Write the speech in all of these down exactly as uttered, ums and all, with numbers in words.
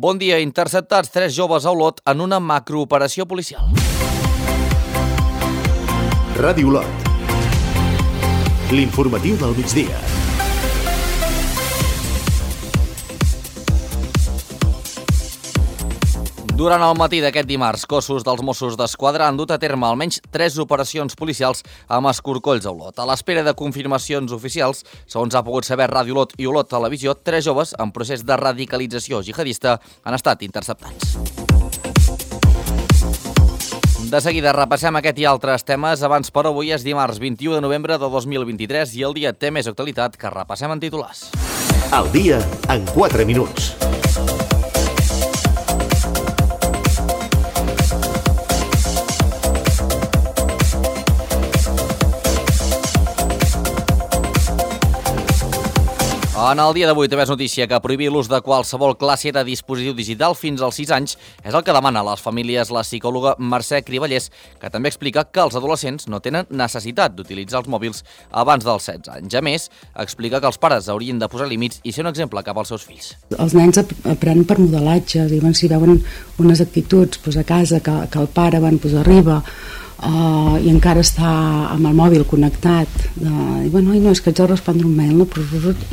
Bon dia, interceptats tres joves a Olot en una macrooperació policial. Ràdio Olot. L'informatiu del migdia. Durant el matí d'aquest dimarts, cossos dels Mossos d'Esquadra han dut a terme almenys tres operacions policials amb escorcolls a Olot. A l'espera de confirmacions oficials, segons ha pogut saber Ràdio Olot i Olot Televisió, tres joves en procés de radicalització jihadista han estat interceptats. De seguida repassem aquest i altres temes. Abans, però, avui és dimarts vint-i-u de novembre de dos mil vint-i-tres i el dia té més actualitat que repassem en titulars. El dia en quatre minuts. En el dia d'avui també és notícia que prohibir l'ús de qualsevol classe de dispositiu digital fins als sis anys és el que demana a les famílies la psicòloga Mercè Criballers, que també explica que els adolescents no tenen necessitat d'utilitzar els mòbils abans dels setze anys. A més, explica que els pares haurien de posar límits i ser un exemple cap als seus fills. Els nens aprenen per modelatge, diuen, si veuen unes actituds doncs, a casa que, que el pare van, doncs, arriba Uh, i encara està amb el mòbil connectat uh, i bueno, no, és que haig de respondre un mail, no?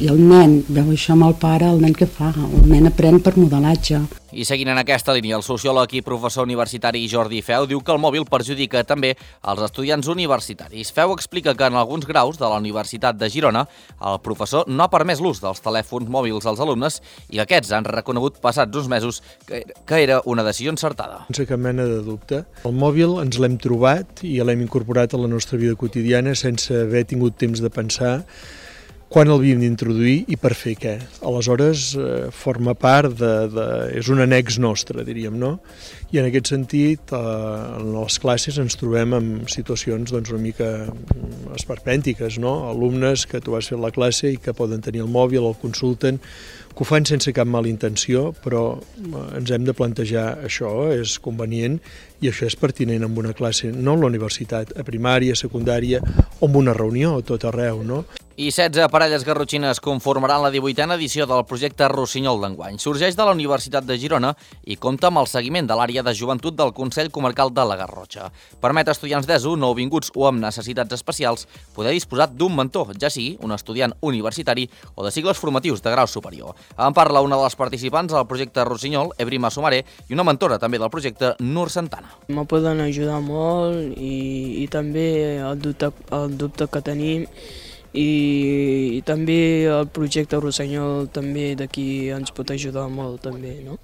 I el nen veu això amb el pare, el nen què fa? El nen aprèn per modelatge. I seguint en aquesta línia, el sociòleg i professor universitari Jordi Feu diu que el mòbil perjudica també els estudiants universitaris. Feu explica que en alguns graus de la Universitat de Girona el professor no ha permès l'ús dels telèfons mòbils als alumnes i que aquests han reconegut passats uns mesos que, que era una decisió encertada. Sense cap mena de dubte. El mòbil ens l'hem trobat i l'hem incorporat a la nostra vida quotidiana sense haver tingut temps de pensar quan el havíem d'introduir i per fer què. Aleshores, eh, forma part de, de... és un annex nostre, diríem, no? I en aquest sentit, eh, en les classes ens trobem en situacions doncs, una mica esperpèntiques, no? Alumnes que tu has fet la classe i que poden tenir el mòbil, el consulten, que ho fan sense cap mala intenció, però ens hem de plantejar això, és convenient i això és pertinent en una classe, no en la universitat, a primària, secundària o en una reunió, tot arreu, no? I setze parelles garrotxines conformaran la divuitena edició del projecte Rossinyol d'enguany. Sorgeix de la Universitat de Girona i compta amb el seguiment de l'àrea de joventut del Consell Comarcal de la Garrotxa. Permet a estudiants d'ESO, nouvinguts o amb necessitats especials poder disposar d'un mentor, ja sigui un estudiant universitari o de cicles formatius de grau superior. En parla una de les participants del projecte Rossinyol, Ebrima Sumaré, i una mentora també del projecte, Nur Santana. Me poden ajudar molt i, i també el dubte, el dubte que tenim i, i també el projecte Rossinyol també d'aquí ens pot ajudar molt també, no?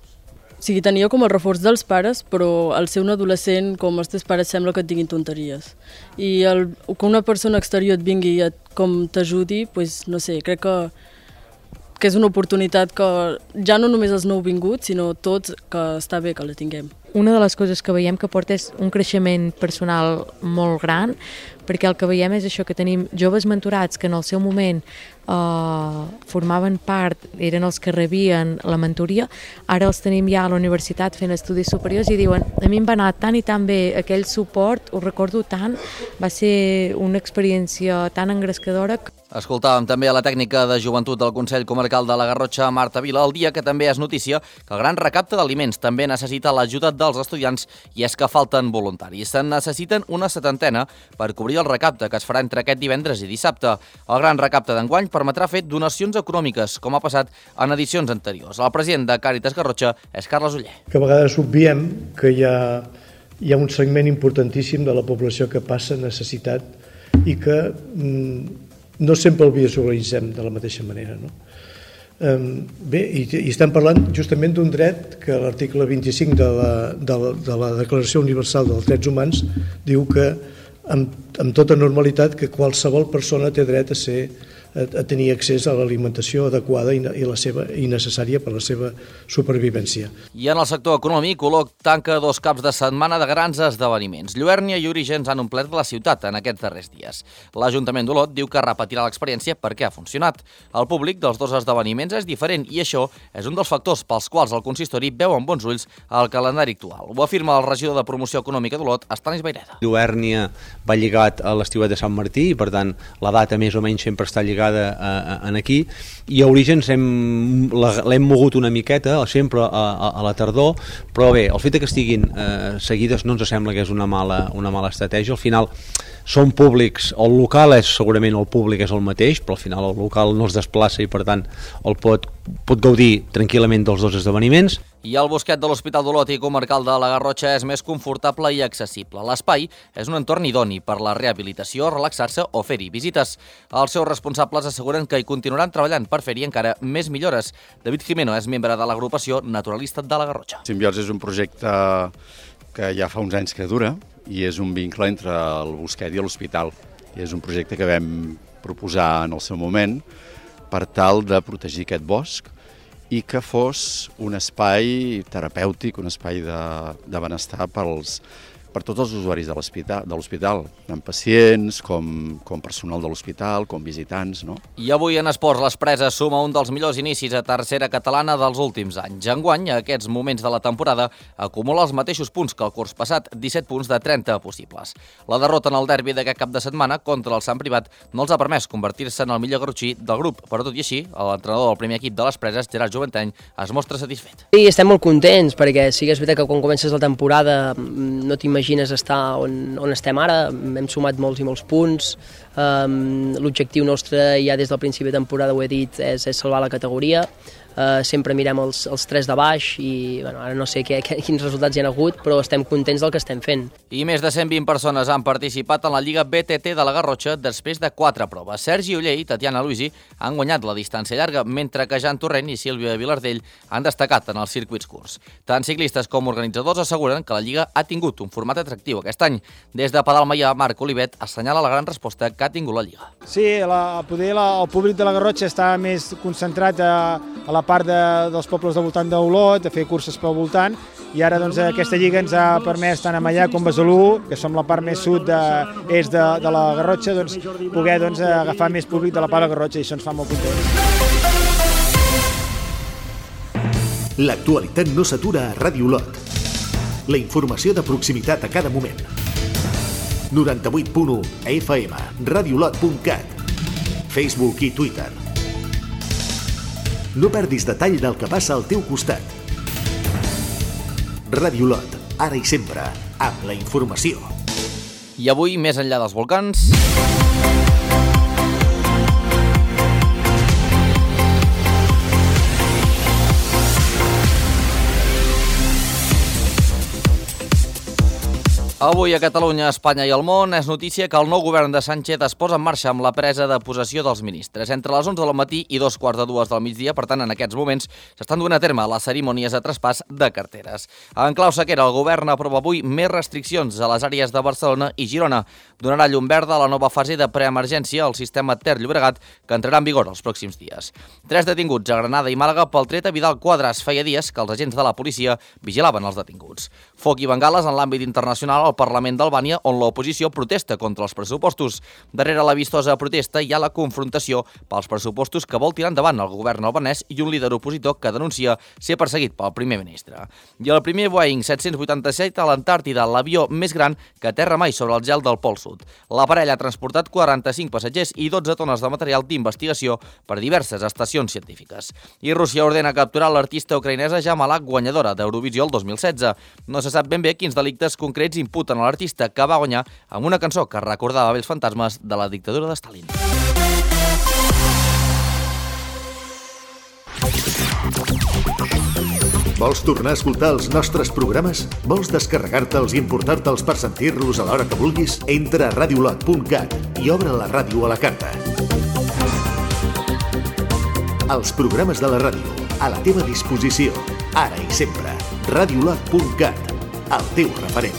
O sigui, tenia com el reforç dels pares, però al ser un adolescent, com els teus pares, sembla que et diguin tonteries. I el, que una persona exterior et vingui i et, com t'ajudi, pues, no sé, crec que que és una oportunitat que ja no només els nouvinguts, sinó tots, que està bé que la tinguem. Una de les coses que veiem que porta és un creixement personal molt gran, perquè el que veiem és això, que tenim joves mentorats que en el seu moment eh, formaven part, eren els que rebien la mentoria, ara els tenim ja a la universitat fent estudis superiors i diuen, a mi em va anar tan i tan bé aquell suport, ho recordo tant, va ser una experiència tan engrescadora. Escoltàvem també a la tècnica de joventut del Consell Comarcal de la Garrotxa, Marta Vila, el dia que també és notícia que el gran recapte d'aliments també necessita l'ajuda dels estudiants i és que falten voluntaris. Se'n necessiten una setantena per cobrir el recapte que es farà entre aquest divendres i dissabte. El gran recapte d'enguany permetrà fer donacions econòmiques, com ha passat en edicions anteriors. El president de Càritas Garrotxa és Carles Oller. Que a vegades obviem que hi ha, hi ha un segment importantíssim de la població que passa necessitat i que mm, no sempre el visualitzem de la mateixa manera, no? Bé, i, i estem parlant justament d'un dret que l'article vint-i-cinc de la, de, la, de la Declaració Universal dels Drets Humans diu que amb, amb tota normalitat que qualsevol persona té dret a ser a tenir accés a l'alimentació adequada i, i, la seva, i necessària per a la seva supervivència. I en el sector econòmic, Olot tanca dos caps de setmana de grans esdeveniments. Lluèrnia i Orígens han omplert la ciutat en aquests darrers dies. L'Ajuntament d'Olot diu que repetirà l'experiència perquè ha funcionat. El públic dels dos esdeveniments és diferent i això és un dels factors pels quals el consistori veu amb bons ulls el calendari actual. Ho afirma el regidor de Promoció Econòmica d'Olot, Estanis Baireda. Lluèrnia va lligat a l'estiuet de Sant Martí i, per tant, la data més o menys sempre està lligada vegada eh, en aquí, i a Orígens l'hem mogut una miqueta, sempre a, a, a la tardor, però bé, el fet que estiguin eh, seguides no ens sembla que és una mala, una mala estratègia. Al final són públics, el local és segurament el públic és el mateix, però al final el local no es desplaça i per tant el pot, pot gaudir tranquil·lament dels dos esdeveniments. I el bosquet de l'Hospital d'Olot i Comarcal de la Garrotxa és més confortable i accessible. L'espai és un entorn idoni per la rehabilitació, relaxar-se o fer-hi visites. Els seus responsables asseguren que hi continuaran treballant per fer-hi encara més millores. David Jimeno és membre de l'agrupació Naturalista de la Garrotxa. Simbiosi és un projecte que ja fa uns anys que dura i és un vincle entre el bosquet i l'hospital. I és un projecte que vam proposar en el seu moment per tal de protegir aquest bosc i que fos un espai terapèutic, un espai de, de benestar pels, per tots els usuaris de l'hospital, tant pacients com, com personal de l'hospital, com visitants. No? I avui en esports les Preses suma un dels millors inicis a tercera catalana dels últims anys. Enguany, a aquests moments de la temporada, acumula els mateixos punts que el curs passat, disset punts de trenta possibles. La derrota en el derbi d'aquest cap de setmana contra el Sant Privat no els ha permès convertir-se en el millor garrotxí del grup, però tot i així, l'entrenador del primer equip de les Preses, Gerard Joventeny, es mostra satisfet. Sí, estem molt contents, perquè sí que és veritat que quan comences la temporada no t'imagines estar on, on estem ara, hem sumat molts i molts punts, um, l'objectiu nostre ja des del principi de temporada, ho he dit, és, és salvar la categoria, uh, sempre mirem els, els tres de baix i bueno, ara no sé què, què, quins resultats hi ha hagut, però estem contents del que estem fent. I més de cent vint persones han participat en la Lliga B T T de la Garrotxa després de quatre proves. Sergi Uller i Tatiana Luisi han guanyat la distància llarga, mentre que Jan Torrent i Sílvia Vilardell han destacat en els circuits curts. Tant ciclistes com organitzadors asseguren que la Lliga ha tingut un format atractiu aquest any. Des de Padalmaià, Marc Olivet assenyala la gran resposta que ha tingut la Lliga. Sí, la, poder la, el públic de la Garrotxa està més concentrat a, a la part de, dels pobles del voltant d'Olot, a fer curses pel voltant, i ara doncs, aquesta Lliga ens ha permès tant a Maià com a Besalú, que som la part més sud de, est de, de la Garrotxa, doncs, poder doncs, agafar més públic de la part de la Garrotxa, i això ens fa molt contents. L'actualitat no s'atura a Ràdio Olot. La informació de proximitat a cada moment. noranta-vuit punt u F M, radiolot punt cat, Facebook i Twitter. No perdis detall del que passa al teu costat. Ràdio Olot, ara i sempre, amb la informació. I avui, més enllà dels volcans... Avui a Catalunya, Espanya i el món és notícia que el nou govern de Sánchez es posa en marxa amb la presa de possessió dels ministres. Entre les onze del matí i dos quarts de dues del migdia, per tant, en aquests moments, s'estan duent a terme les cerimònies de traspàs de carteres. En clau sequera, el govern aprova avui més restriccions a les àrees de Barcelona i Girona. Donarà llum verda a la nova fase de preemergència al sistema Ter-Llobregat, que entrarà en vigor els pròxims dies. Tres detinguts a Granada i Màlaga pel tret a Vidal Quadras. Feia dies que els agents de la policia vigilaven els detinguts. Foc i bengales en l'àmbit internacional al Parlament d'Albània, on l'oposició protesta contra els pressupostos. Darrere la vistosa protesta hi ha la confrontació pels pressupostos que vol tirar endavant el govern albanès i un líder opositor que denuncia ser perseguit pel primer ministre. I el primer Boeing set-cents vuitanta-set a l'Antàrtida, l'avió més gran que aterra mai sobre el gel del Pol Sud. L'aparell ha transportat quaranta-cinc passatgers i dotze tones de material d'investigació per diverses estacions científiques. I Rússia ordena capturar l'artista ucraïnesa Jamalak, guanyadora d'Eurovisió el dos mil setze. No se sap ben bé quins delictes concrets imputen a l'artista, que va guanyar amb una cançó que recordava vells fantasmes de la dictadura de Stalin. Vols tornar a escoltar els nostres programes? Vols descarregar-te'ls i importar-te'ls per sentir-los a l'hora que vulguis? Entra a radiolot punt cat i obre la ràdio a la carta. Els programes de la ràdio, a la teva disposició, ara i sempre. radiolot punt cat, el teu referent.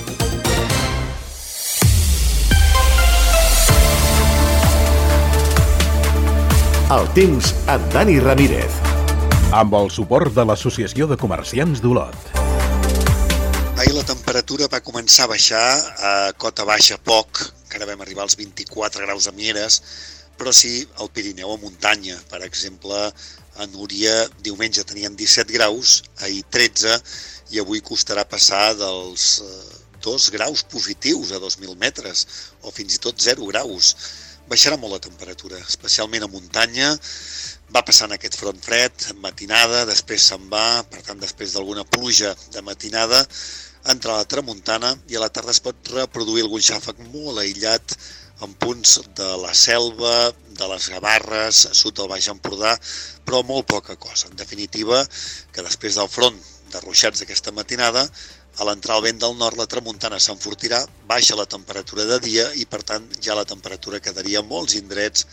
El temps amb Dani Ramírez. Amb el suport de l'Associació de Comerciants d'Olot. Ahir la temperatura va començar a baixar a cota baixa poc, que ara vam arribar als vint-i-quatre graus a Mieres, però sí al Pirineu, a muntanya. Per exemple, a Núria diumenge tenien disset graus, ahir tretze, i avui costarà passar dels dos graus positius a dos mil metres, o fins i tot zero graus. baixarà molt la temperatura, especialment a muntanya. Va passant aquest front fred, matinada, després se'n va, per tant, després d'alguna pluja de matinada, entra la tramuntana i a la tarda es pot reproduir algun xàfec molt aïllat en punts de la Selva, de les Gavarres, sud del Baix Empordà, però molt poca cosa. En definitiva, que després del front de ruixats d'aquesta matinada, a l'entrar el vent del nord, la tramuntana s'enfortirà, baixa la temperatura de dia i, per tant, ja la temperatura quedaria a molts indrets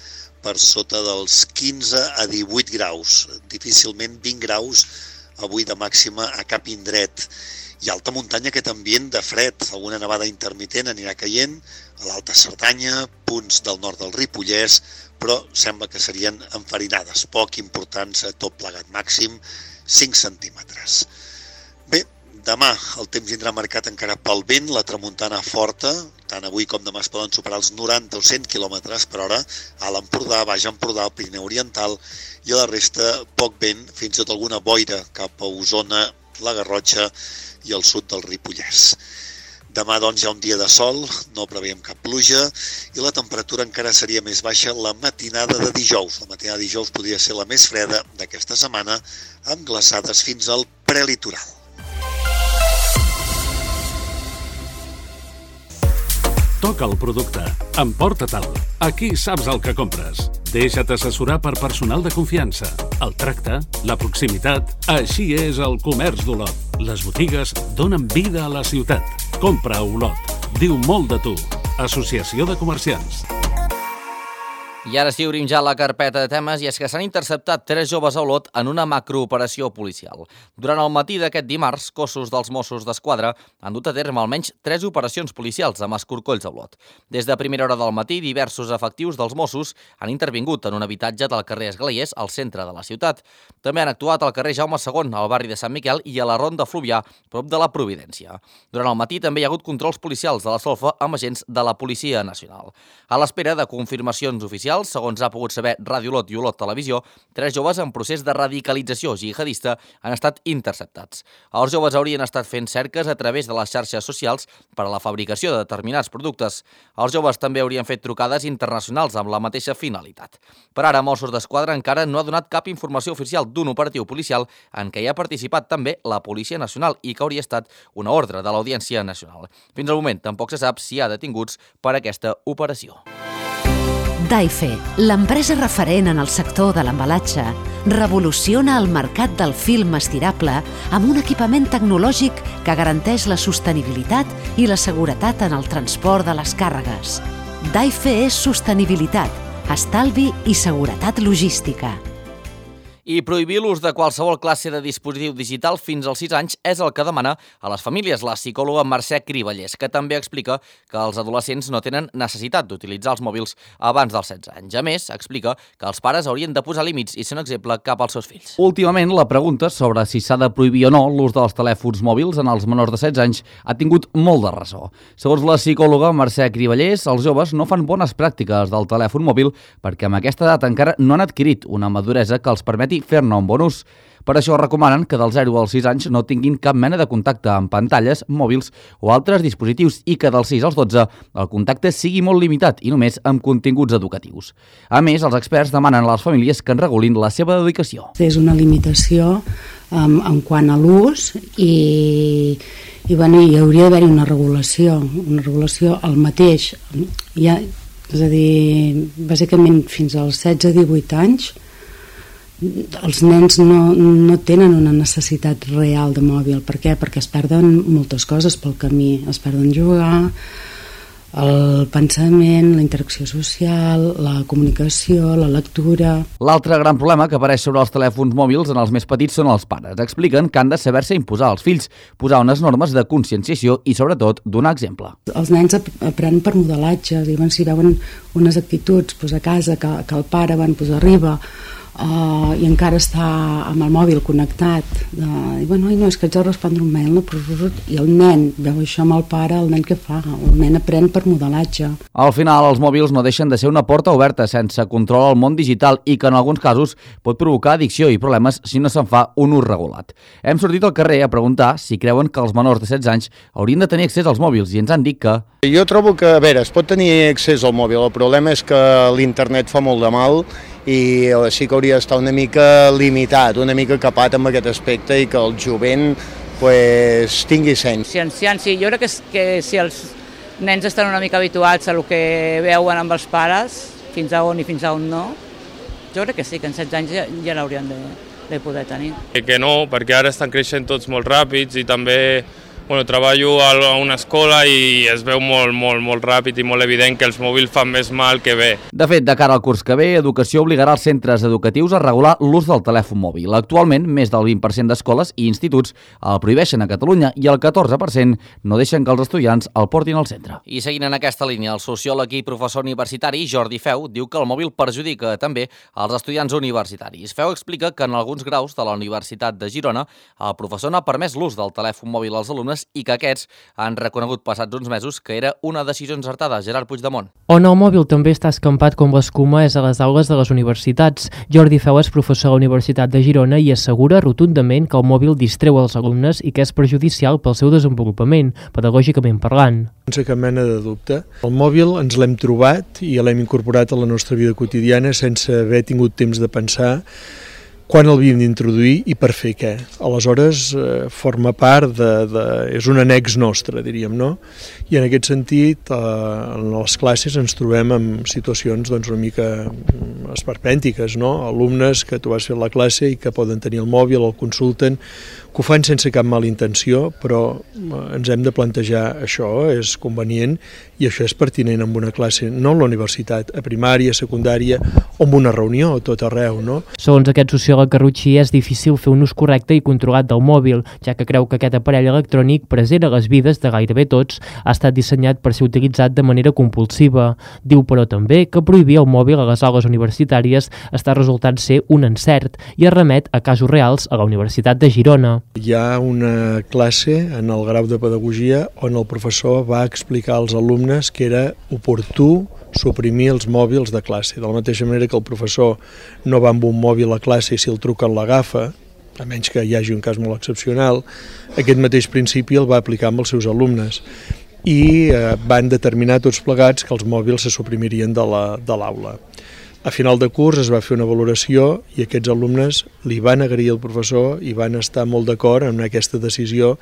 per sota dels quinze a divuit graus. Difícilment vint graus avui de màxima a cap indret. I a alta muntanya aquest ambient de fred, alguna nevada intermitent anirà caient, a l'Alta Cerdanya, punts del nord del Ripollès, però sembla que serien enfarinades, poc importants, tot plegat, màxim cinc centímetres. Bé, demà el temps vindrà marcat encara pel vent, la tramuntana forta, tant avui com demà es poden superar els noranta o cent quilòmetres per hora a l'Empordà, Baix Empordà, el Pirineu Oriental, i a la resta poc vent, fins i tot alguna boira cap a Osona, la Garrotxa i el sud del Ripollès. Demà, doncs, hi ha un dia de sol, no preveiem cap pluja, i la temperatura encara seria més baixa la matinada de dijous. La matinada de dijous podria ser la més freda d'aquesta setmana, amb glaçades fins al prelitoral. Toca el producte. Emporta-te'l. Aquí saps el que compres. Deixa't assessorar per personal de confiança. El tracte, la proximitat... Així és el comerç d'Olot. Les botigues donen vida a la ciutat. Compra a Olot. Diu molt de tu. Associació de Comerciants. I ara sí, obrim ja la carpeta de temes, i és que s'han interceptat tres joves a Olot en una macrooperació policial. Durant el matí d'aquest dimarts, cossos dels Mossos d'Esquadra han dut a terme almenys tres operacions policials amb escorcolls a Olot. Des de primera hora del matí, diversos efectius dels Mossos han intervingut en un habitatge del carrer Esglaiers, al centre de la ciutat. També han actuat al carrer Jaume segon, al barri de Sant Miquel, i a la Ronda Fluvià, prop de la Providència. Durant el matí també hi ha hagut controls policials de la Solfa amb agents de la Policia Nacional. A l'espera de confirmacions oficials, segons ha pogut saber Ràdio Olot i Olot Televisió, tres joves en procés de radicalització jihadista han estat interceptats. Els joves haurien estat fent cerques a través de les xarxes socials per a la fabricació de determinats productes. Els joves també haurien fet trucades internacionals amb la mateixa finalitat. Per ara, Mossos d'Esquadra encara no ha donat cap informació oficial d'un operatiu policial en què hi ha participat també la Policia Nacional i que hauria estat una ordre de l'Audiència Nacional. Fins al moment tampoc se sap si hi ha detinguts per aquesta operació. Daife, l'empresa referent en el sector de l'embalatge, revoluciona el mercat del film estirable amb un equipament tecnològic que garanteix la sostenibilitat i la seguretat en el transport de les càrregues. Daife és sostenibilitat, estalvi i seguretat logística. I prohibir l'ús de qualsevol classe de dispositiu digital fins als sis anys és el que demana a les famílies la psicòloga Mercè Criballers, que també explica que els adolescents no tenen necessitat d'utilitzar els mòbils abans dels setze anys. A més, explica que els pares haurien de posar límits i ser un exemple cap als seus fills. Últimament, la pregunta sobre si s'ha de prohibir o no l'ús dels telèfons mòbils en els menors de setze anys ha tingut molt de ressò. Segons la psicòloga Mercè Criballers, els joves no fan bones pràctiques del telèfon mòbil perquè amb aquesta edat encara no han adquirit una maduresa que els permeti fer-ne un bon ús. Per això recomanen que dels zero als sis anys no tinguin cap mena de contacte amb pantalles, mòbils o altres dispositius i que dels sis als dotze el contacte sigui molt limitat i només amb continguts educatius. A més, els experts demanen a les famílies que en regulin la seva dedicació. És una limitació um, en quant a l'ús i, i bueno, hi hauria d'haver-hi una regulació, una regulació al mateix. Ja, és a dir, bàsicament fins als setze a divuit anys els nens no, no tenen una necessitat real de mòbil. Per què? Perquè es perden moltes coses pel camí. Es perden jugar, el pensament, la interacció social, la comunicació, la lectura... L'altre gran problema que apareix sobre els telèfons mòbils en els més petits són els pares. Expliquen que han de saber-se imposar als fills, posar unes normes de conscienciació i, sobretot, donar exemple. Els nens aprenen per modelatge, diuen, si veuen unes actituds doncs, a casa que, que el pare van, doncs, arriba Uh, i encara està amb el mòbil connectat de, i bueno, no, és que haig de respondre un mail, no? I el nen veu això amb el pare, el nen què fa? El nen aprèn per modelatge. Al final, els mòbils no deixen de ser una porta oberta sense control al món digital i que en alguns casos pot provocar addicció i problemes si no se'n fa un ús regulat. Hem sortit al carrer a preguntar si creuen que els menors de setze anys haurien de tenir accés als mòbils i ens han dit que... Jo trobo que, a veure, es pot tenir accés al mòbil, el problema és que l'internet fa molt de mal i sí que hauria d'estar una mica limitat, una mica capat amb aquest aspecte i que el jovent pues, tingui seny. Si ancians, sí, jo crec que, que si els nens estan una mica habituats a el que veuen amb els pares, fins a on i fins a on no, jo crec que sí, que en setze anys ja, ja l'haurien de, de poder tenir. Que no, perquè ara estan creixent tots molt ràpids i també bueno, treballo a una escola i es veu molt, molt, molt ràpid i molt evident que els mòbils fan més mal que bé. De fet, de cara al curs que ve, Educació obligarà els centres educatius a regular l'ús del telèfon mòbil. Actualment, més del vint per cent d'escoles i instituts el prohibeixen a Catalunya i el catorze per cent no deixen que els estudiants el portin al centre. I seguint en aquesta línia, el sociòleg i professor universitari Jordi Feu diu que el mòbil perjudica també als estudiants universitaris. Feu explica que en alguns graus de la Universitat de Girona el professor n'ha permès l'ús del telèfon mòbil als alumnes i que aquests han reconegut passats uns mesos que era una decisió encertada. Gerard Puigdemont. On el mòbil també està escampat com l'escuma és a les aules de les universitats. Jordi Feu és professor a la Universitat de Girona i assegura rotundament que el mòbil distreu els alumnes i que és perjudicial pel seu desenvolupament, pedagògicament parlant. Sense cap mena de dubte. El mòbil ens l'hem trobat i l'hem incorporat a la nostra vida quotidiana sense haver tingut temps de pensar quan el havíem d'introduir i per fer què. Aleshores, eh, forma part de, de... és un annex nostre, diríem, no? I en aquest sentit, eh, en les classes ens trobem en situacions doncs, una mica esperpèntiques, no? Alumnes que tu vas fer la classe i que poden tenir el mòbil, el consulten, que ho fan sense cap mala intenció, però ens hem de plantejar això, és convenient i això és pertinent en una classe, no en la universitat, a primària, secundària o en una reunió, a tot arreu, no? Segons aquest sociòleg garrotxí, és difícil fer un ús correcte i controlat del mòbil, ja que creu que aquest aparell electrònic present a les vides de gairebé tots ha estat dissenyat per ser utilitzat de manera compulsiva. Diu, però, també que prohibir el mòbil a les aules universitàries està resultant ser un encert i es remet a casos reals a la Universitat de Girona. Hi ha una classe en el grau de pedagogia on el professor va explicar als alumnes que era oportú suprimir els mòbils de classe, de la mateixa manera que el professor no va amb un mòbil a classe i si el truquen l'agafa, a menys que hi hagi un cas molt excepcional, aquest mateix principi el va aplicar amb els seus alumnes i eh, van determinar tots plegats que els mòbils se suprimirien de l'aula. A final de curs es va fer una valoració i aquests alumnes li van agrair al professor i van estar molt d'acord en aquesta decisió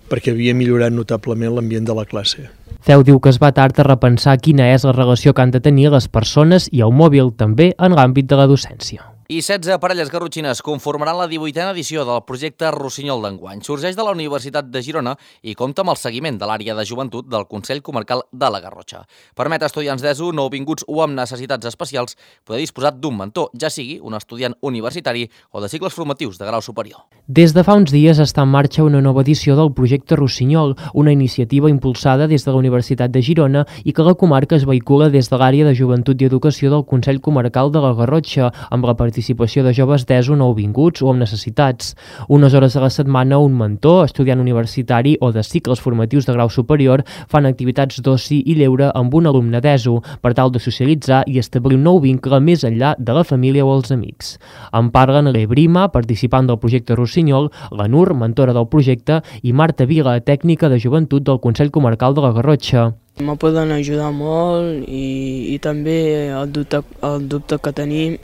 perquè havia millorat notablement l'ambient de la classe. Feu diu que es va tard a repensar quina és la relació que han de tenir les persones i el mòbil també en l'àmbit de la docència. I setze parelles garrotxines conformaran la divuitena edició del projecte Rossinyol d'enguany. Sorgeix de la Universitat de Girona i compta amb el seguiment de l'àrea de joventut del Consell Comarcal de la Garrotxa. Permet a estudiants d'ESO, nouvinguts o amb necessitats especials poder disposar d'un mentor, ja sigui un estudiant universitari o de cicles formatius de grau superior. Des de fa uns dies està en marxa una nova edició del projecte Rossinyol, una iniciativa impulsada des de la Universitat de Girona i que la comarca es vehicula des de l'àrea de joventut i educació del Consell Comarcal de la Garrotxa, amb la participació de joves d'ESO nouvinguts o amb necessitats. Unes hores a la setmana, un mentor, estudiant universitari o de cicles formatius de grau superior fan activitats d'oci i lleure amb un alumne d'ESO per tal de socialitzar i establir un nou vincle més enllà de la família o els amics. En parlen l'Ebrima, participant del projecte Rossinyol, la Nur, mentora del projecte, i Marta Vila, tècnica de joventut del Consell Comarcal de la Garrotxa. Me poden ajudar molt i, i també el dubte, el dubte que tenim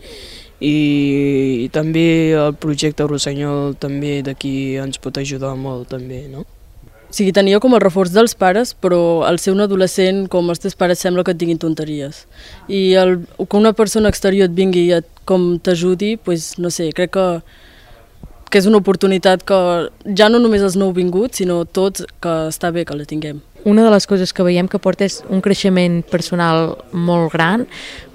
i, i també el projecte Rossinyol també d'aquí ens pot ajudar molt també, no? O sigui, tenia com el reforç dels pares, però al ser un adolescent, com els teus pares, sembla que et diguin tonteries. I el, que una persona exterior et vingui i et, com t'ajudi, pues, no sé, crec que, que és una oportunitat que ja no només els nouvinguts, sinó tots, que està bé que la tinguem. una de les coses que veiem que porta és un creixement personal molt gran,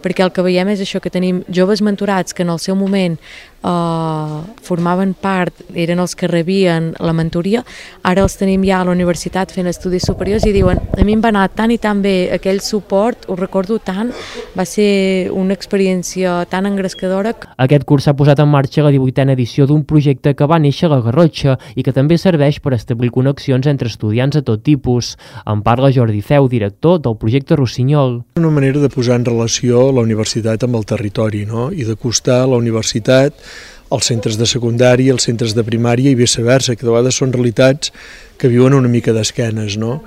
perquè el que veiem és això, que tenim joves mentorats que en el seu moment eh, formaven part, eren els que rebien la mentoria, ara els tenim ja a la universitat fent estudis superiors i diuen, a mi em va anar tan i tan bé aquell suport, ho recordo tant, va ser una experiència tan engrescadora. Aquest curs s'ha posat en marxa la divuitena edició d'un projecte que va néixer a la Garrotxa i que també serveix per establir connexions entre estudiants de tot tipus. En parla Jordi Feu, director del projecte Rossinyol. Una manera de posar en relació la universitat amb el territori, no? I d'acostar la universitat als centres de secundària, als centres de primària i viceversa, que de vegades són realitats que viuen una mica d'esquenes, no?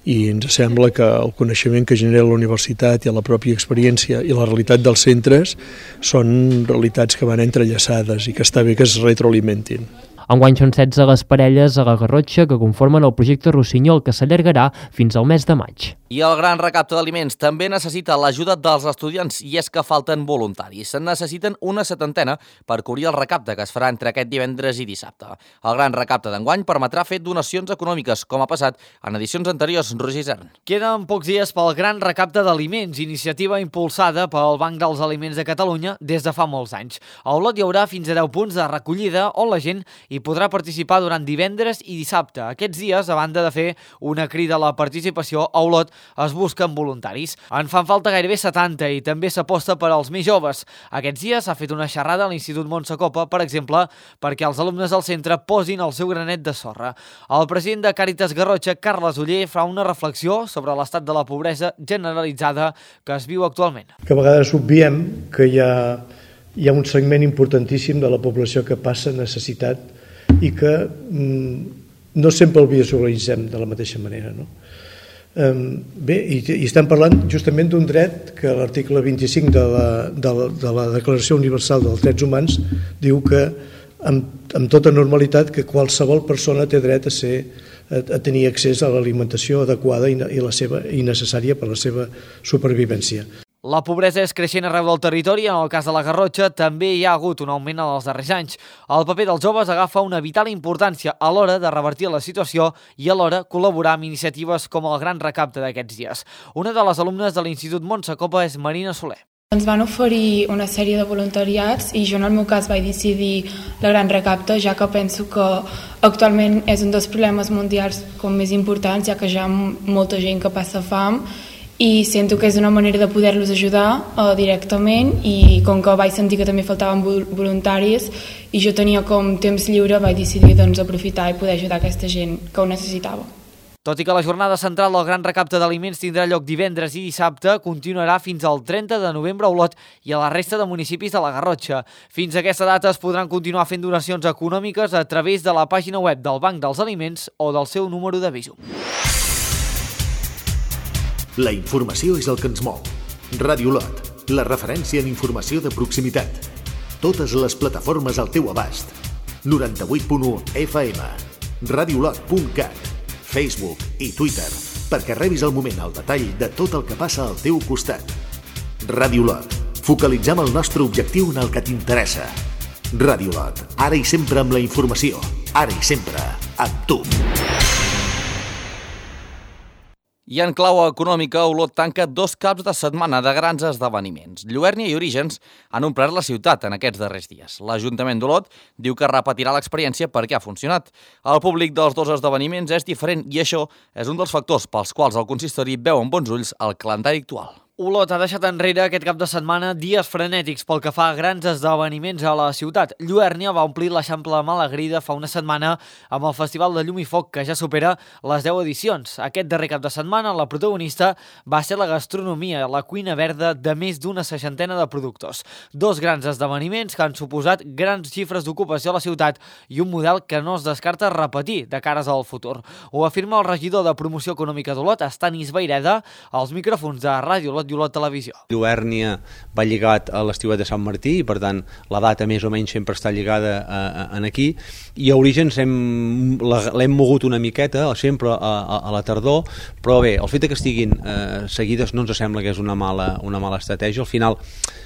I ens sembla que el coneixement que genera la universitat i la pròpia experiència i la realitat dels centres són realitats que van entrellaçades i que està bé que es retroalimentin. Enguany són setze les parelles a la Garrotxa que conformen el projecte Rossinyol, que s'allargarà fins al mes de maig. I el gran recapte d'aliments també necessita l'ajuda dels estudiants i és que falten voluntaris. Se'n necessiten una setantena per cobrir el recapte que es farà entre aquest divendres i dissabte. El gran recapte d'enguany permetrà fer donacions econòmiques, com ha passat en edicions anteriors. Roger Isern. Queden pocs dies pel gran recapte d'aliments, iniciativa impulsada pel Banc dels Aliments de Catalunya des de fa molts anys. A Olot hi haurà fins a deu punts de recollida on la gent hi podrà participar durant divendres i dissabte. Aquests dies, a banda de fer una crida a la participació, a Olot es busquen voluntaris. En fan falta gairebé setanta i també s'aposta per als més joves. Aquests dies s'ha fet una xerrada a l'Institut Montse Copa, per exemple, perquè els alumnes del centre posin el seu granet de sorra. El president de Càritas Garrotxa, Carles Oller, fa una reflexió sobre l'estat de la pobresa generalitzada que es viu actualment. Que a vegades obviem que hi ha, hi ha un segment importantíssim de la població que passa necessitat i que mm, no sempre el visualitzem de la mateixa manera, no? Um, bé, i, i estem parlant justament d'un dret que l'article vint-i-cinc de la, de, la, de la Declaració Universal dels Drets Humans diu que amb, amb tota normalitat que qualsevol persona té dret a, ser, a, a tenir accés a l'alimentació adequada i, i, la seva, i necessària per a la seva supervivència. La pobresa és creixent arreu del territori. En el cas de la Garrotxa també hi ha hagut un augment en els darrers anys. El paper dels joves agafa una vital importància a l'hora de revertir la situació i alhora col·laborar amb iniciatives com el gran recapte d'aquests dies. Una de les alumnes de l'Institut Montse Copa és Marina Soler. Ens van oferir una sèrie de voluntariats i jo en el meu cas vaig decidir la gran recapte, ja que penso que actualment és un dels problemes mundials com més importants, ja que hi ha molta gent que passa fam i sento que és una manera de poder-los ajudar uh, directament i com que vaig sentir que també faltaven voluntaris i jo tenia com temps lliure vaig decidir doncs, aprofitar i poder ajudar aquesta gent que ho necessitava. Tot i que la jornada central del gran recapte d'aliments tindrà lloc divendres i dissabte, continuarà fins al trenta de novembre a Olot i a la resta de municipis de la Garrotxa. Fins a aquesta data es podran continuar fent donacions econòmiques a través de la pàgina web del Banc dels Aliments o del seu número de Bizum. La informació és el que ens mou. Ràdio Olot, la referència en informació de proximitat. Totes les plataformes al teu abast. noranta-vuit punt u F M, radiolot punt cat, Facebook i Twitter, perquè rebis al moment el detall de tot el que passa al teu costat. Ràdio Olot, focalitzem el nostre objectiu en el que t'interessa. Ràdio Olot, ara i sempre amb la informació, ara i sempre amb tu. I en clau econòmica, Olot tanca dos caps de setmana de grans esdeveniments. Lluernia i Orígens han omplert la ciutat en aquests darrers dies. L'Ajuntament d'Olot diu que repetirà l'experiència perquè ha funcionat. El públic dels dos esdeveniments és diferent i això és un dels factors pels quals el consistori veu amb bons ulls el calendari actual. Olot ha deixat enrere aquest cap de setmana dies frenètics pel que fa a grans esdeveniments a la ciutat. Lluernia va omplir l'Eixample Malagrida fa una setmana amb el Festival de Llum i Foc, que ja supera les deu edicions. Aquest darrer cap de setmana la protagonista va ser la gastronomia, la cuina verda de més d'una seixantena de productors. Dos grans esdeveniments que han suposat grans xifres d'ocupació a la ciutat i un model que no es descarta repetir de cares al futur. Ho afirma el regidor de Promoció Econòmica d'Olot, Estanis Vaireda, als micròfons de Ràdio Olot i Olot Televisió. Lluernia va lligat a l'estiuet de Sant Martí i per tant la data més o menys sempre està lligada a, a, a aquí, i a Orígens l'hem mogut una miqueta sempre a, a, a la tardor, però bé, el fet que estiguin eh, seguides no ens sembla que és una mala, una mala estratègia. Al final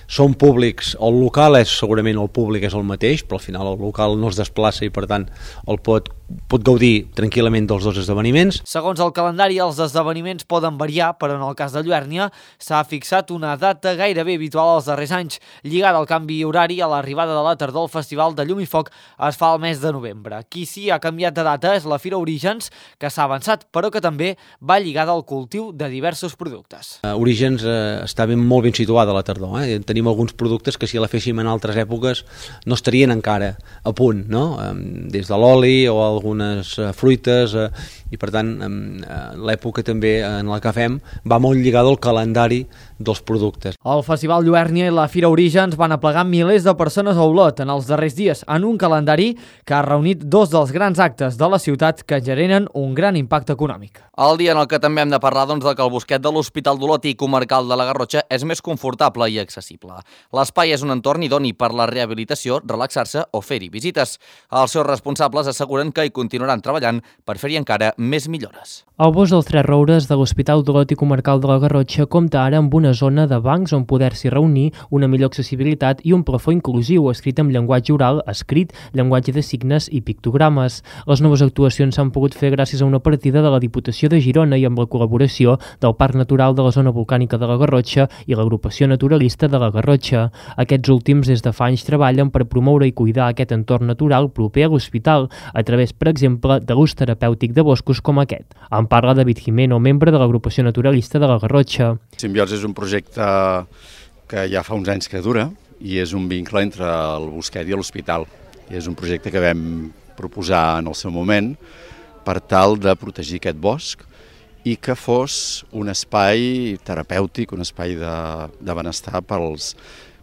són públics, el local és segurament el públic és el mateix, però al final el local no es desplaça i per tant el pot, pot gaudir tranquil·lament dels dos esdeveniments. Segons el calendari, els esdeveniments poden variar, però en el cas de Lluèrnia s'ha fixat una data gairebé habitual als darrers anys, lligada al canvi horari a l'arribada de la tardor. El Festival de Llum i Foc es fa al mes de novembre. Qui sí ha canviat de data és la Fira Orígens, que s'ha avançat, però que també va lligada al cultiu de diversos productes. Uh, Orígens uh, està ben, molt ben situada a la tardor. Eh? Tenim alguns productes que si la féssim en altres èpoques no estarien encara a punt, no? Um, des de l'oli o algunes uh, fruites, uh, i per tant um, uh, l'època també en la que fem va molt lligada al calendari dels productes. El Festival Lluèrnia i la Fira Orígens van aplegar milers de persones a Olot en els darrers dies en un calendari que ha reunit dos dels grans actes de la ciutat que generen un gran impacte econòmic. El dia en el que també hem de parlar doncs, de que el bosquet de l'Hospital d'Olot i Comarcal de la Garrotxa és més confortable i accessible. L'espai és un entorn idoni per la rehabilitació, relaxar-se o fer-hi visites. Els seus responsables asseguren que hi continuaran treballant per fer-hi encara més millores. El bosc dels Tres Roures de l'Hospital d'Olot i Comarcal de la Garrotxa compta ara amb una zona de bancs on poder-s'hi reunir, una millor accessibilitat i un plafó inclusiu escrit amb llenguatge oral, escrit, llenguatge de signes i pictogrames. Les noves actuacions s'han pogut fer gràcies a una partida de la Diputació de Girona i amb la col·laboració del Parc Natural de la Zona Volcànica de la Garrotxa i l'Agrupació Naturalista de la Garrotxa. Aquests últims des de fa anys treballen per promoure i cuidar aquest entorn natural proper a l'hospital, a través, per exemple, de l'ús terapèutic de boscos com aquest. En parla David Jimeno, membre de l'Agrupació Naturalista de la Garrotxa. Simbiosi és un projecte que ja fa uns anys que dura i és un vincle entre el bosquet i l'hospital. I és un projecte que vam proposar en el seu moment per tal de protegir aquest bosc i que fos un espai terapèutic, un espai de, de benestar pels,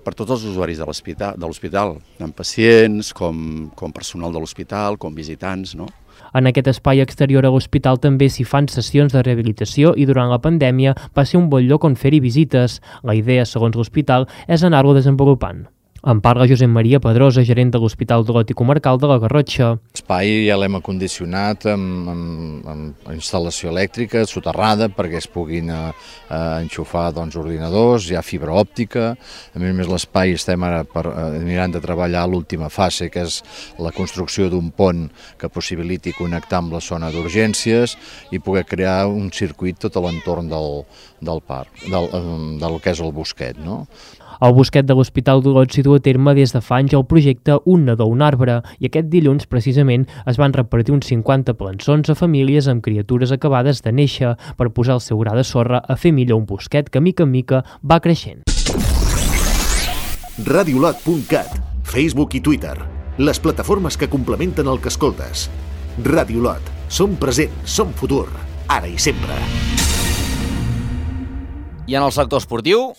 per tots els usuaris de l'hospital, tant pacients com, com personal de l'hospital, com visitants, no? En aquest espai exterior a l'hospital també s'hi fan sessions de rehabilitació i durant la pandèmia va ser un bon lloc on fer-hi visites. La idea, segons l'hospital, és anar-lo desenvolupant. En parla Josep Maria Pedrosa, gerent de l'Hospital d'Olot i Comarcal de la Garrotxa. L'espai ja l'hem acondicionat amb, amb, amb instal·lació elèctrica soterrada perquè es puguin eh, enxufar doncs, ordinadors, hi ha fibra òptica. A més a més l'espai estem ara per, eh, mirant de treballar l'última fase, que és la construcció d'un pont que possibiliti connectar amb la zona d'urgències i poder crear un circuit tot a l'entorn del, del parc, del, del que és el bosquet, no? El bosquet de l'Hospital d'Olot s'hi du a terme des de fa anys el projecte Un nadó, un arbre, i aquest dilluns, precisament, es van repartir uns cinquanta plançons a famílies amb criatures acabades de néixer per posar el seu gra de sorra a fer millor un bosquet que, mica en mica, va creixent. radiolot punt cat, Facebook i Twitter, les plataformes que complementen el que escoltes. Radiolot, som present, som futur, ara i sempre. I en el sector esportiu...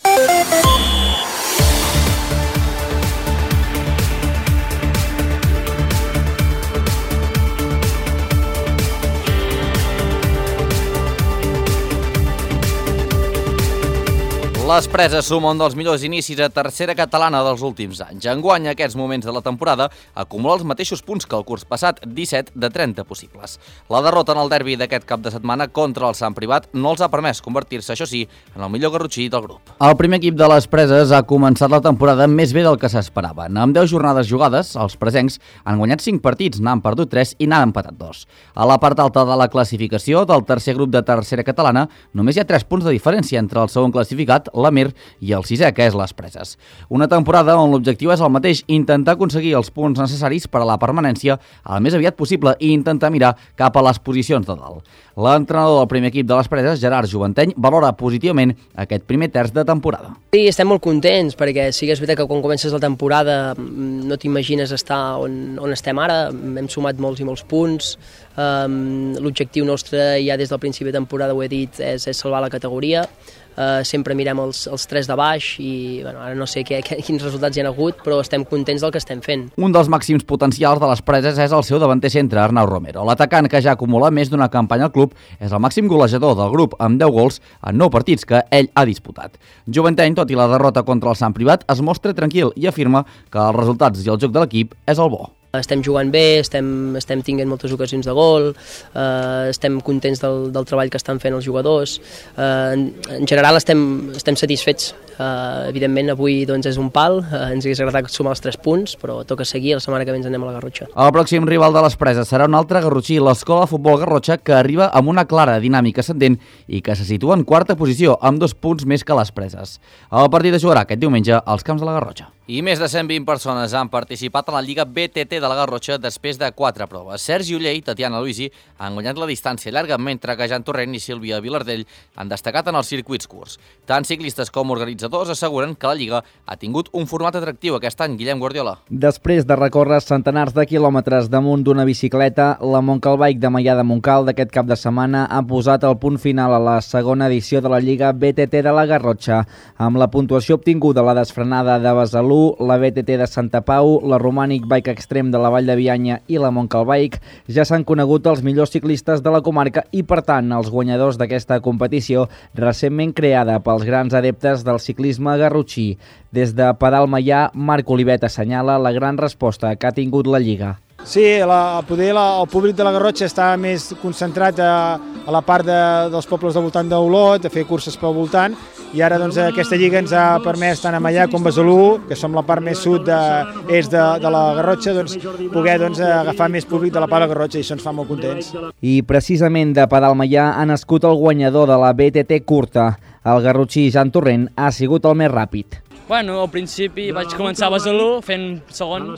Les Preses suma un dels millors inicis a tercera catalana dels últims anys. Enguany, a aquests moments de la temporada, acumula els mateixos punts que el curs passat, disset de trenta possibles. La derrota en el derbi d'aquest cap de setmana contra el Sant Privat no els ha permès convertir-se, això sí, en el millor garrotxí del grup. El primer equip de les Preses ha començat la temporada més bé del que s'esperaven. Amb deu jornades jugades, els presencs han guanyat cinc partits, n'han perdut tres i n'han empatat dos. A la part alta de la classificació del tercer grup de tercera catalana, només hi ha tres punts de diferència entre el segon classificat, l'Amer, i el sisè, que és les Preses. Una temporada on l'objectiu és el mateix, intentar aconseguir els punts necessaris per a la permanència el més aviat possible i intentar mirar cap a les posicions de dalt. L'entrenador del primer equip de les Preses, Gerard Joventeny, valora positivament aquest primer terç de temporada. Sí, estem molt contents, perquè sí que és veritat que quan comences la temporada no t'imagines estar on, on estem ara, hem sumat molts i molts punts, um, l'objectiu nostre ja des del principi de temporada, ho he dit, és, és salvar la categoria. Uh, sempre mirem els, els tres de baix i bueno, ara no sé què, què, quins resultats hi ha hagut, però estem contents del que estem fent. Un dels màxims potencials de les Preses és el seu davanter centre, Arnau Romero. L'atacant, que ja acumula més d'una campanya al club, és el màxim golejador del grup amb deu gols en nou partits que ell ha disputat. Joventeny, tot i la derrota contra el Sant Privat, es mostra tranquil i afirma que els resultats i el joc de l'equip és el bo. Estem jugant bé, estem, estem tinguent moltes ocasions de gol, eh, estem contents del, del treball que estan fent els jugadors. Eh, en, en general estem, estem satisfets. Eh, evidentment avui doncs, és un pal, eh, ens hauria agradat sumar els tres punts, però toca seguir, la setmana que ve ens anem a la Garrotxa. El pròxim rival de les Preses serà un altre garrotxí, l'Escola de Futbol Garrotxa, que arriba amb una clara dinàmica ascendent i que se situa en quarta posició, amb dos punts més que les Preses. El partit es jugarà aquest diumenge als camps de la Garrotxa. I més de cent vint persones han participat en la Lliga B T T de la Garrotxa després de quatre proves. Sergi Uller i Tatiana Luisi han guanyat la distància llarga, mentre que Jan Torrent i Sílvia Vilardell han destacat en els circuits curts. Tant ciclistes com organitzadors asseguren que la Lliga ha tingut un format atractiu aquest any. Guillem Guardiola. Després de recórrer centenars de quilòmetres damunt d'una bicicleta, la Montcal Bike de Maià de Montcal d'aquest cap de setmana ha posat el punt final a la segona edició de la Lliga B T T de la Garrotxa. Amb la puntuació obtinguda a la desfrenada de Besalú, la B T T de Santa Pau, la Romànic Bike Extrem de la Vall de Bianya i la Montcal Bike, ja s'han conegut els millors ciclistes de la comarca i, per tant, els guanyadors d'aquesta competició recentment creada pels grans adeptes del ciclisme garrotxí. Des de Pedal Maià, Marc Olivet assenyala la gran resposta que ha tingut la Lliga. Sí, la, poder la, el públic de la Garrotxa està més concentrat a, a la part de, dels pobles del voltant d'Olot, a fer curses pel voltant, i ara doncs, aquesta lliga ens ha permès tant a Maià com a Besalú, que som la part més sud de, est de, de la Garrotxa, doncs, poder doncs, agafar més públic de la part de la Garrotxa, i això ens fa molt contents. I precisament de Pedal Maià ha nascut el guanyador de la B T T curta. El garrotxí Jan Torrent ha sigut el més ràpid. Bueno, al principi vaig començar a Besalú fent segon,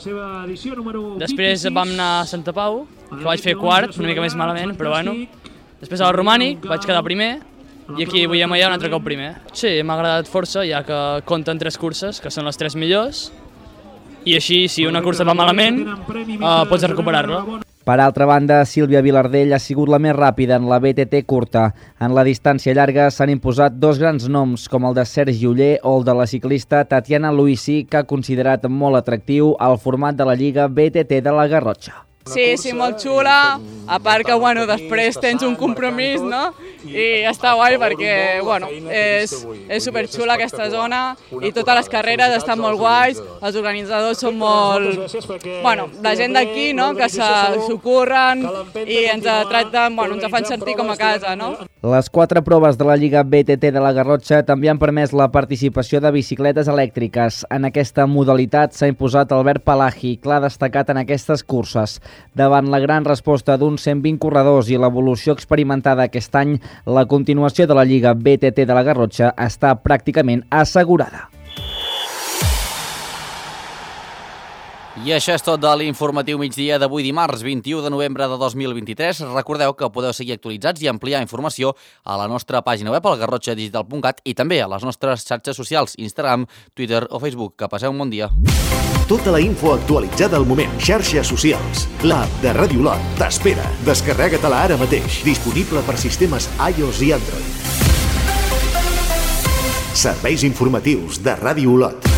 després vam anar a Santa Pau, que vaig fer quart, una mica més malament, però bueno. Després al Romànic vaig quedar primer i aquí vull a Maià un altre cop primer. Sí, m'ha agradat força, ja que compten tres curses, que són les tres millors, i així, si una cursa va malament, uh, pots recuperar-la. Per altra banda, Sílvia Vilardell ha sigut la més ràpida en la B T T curta. En la distància llarga s'han imposat dos grans noms, com el de Sergi Uller o el de la ciclista Tatiana Luisi, que ha considerat molt atractiu el format de la Lliga B T T de la Garrotxa. Sí, sí, molt xula, a part que, bueno, després tens un compromís, no? I està guai perquè, bueno, és, és superxula aquesta zona i totes les carreres estan molt guais, els organitzadors són molt... Bueno, la gent d'aquí, no?, que s'ho curren i ens tracten, bueno, ens fan sentir com a casa, no? Les quatre proves de la Lliga B T T de la Garrotxa també han permès la participació de bicicletes elèctriques. En aquesta modalitat s'ha imposat Albert Palagi, clar destacat en aquestes curses. Davant la gran resposta d'uns cent vint corredors i l'evolució experimentada aquest any, la continuació de la Lliga B T T de la Garrotxa està pràcticament assegurada. I això és tot de l'informatiu migdia d'avui dimarts, vint-i-u de novembre de dos mil vint-i-tres. Recordeu que podeu seguir actualitzats i ampliar informació a la nostra pàgina web, al garrotxa digital punt cat, i també a les nostres xarxes socials, Instagram, Twitter o Facebook. Que passeu un bon dia. Tota la info actualitzada al moment. Xarxes socials. L'app de Ràdio Olot t'espera. Descarrega-te-la ara mateix. Disponible per sistemes iOS i Android. Serveis informatius de Ràdio Olot.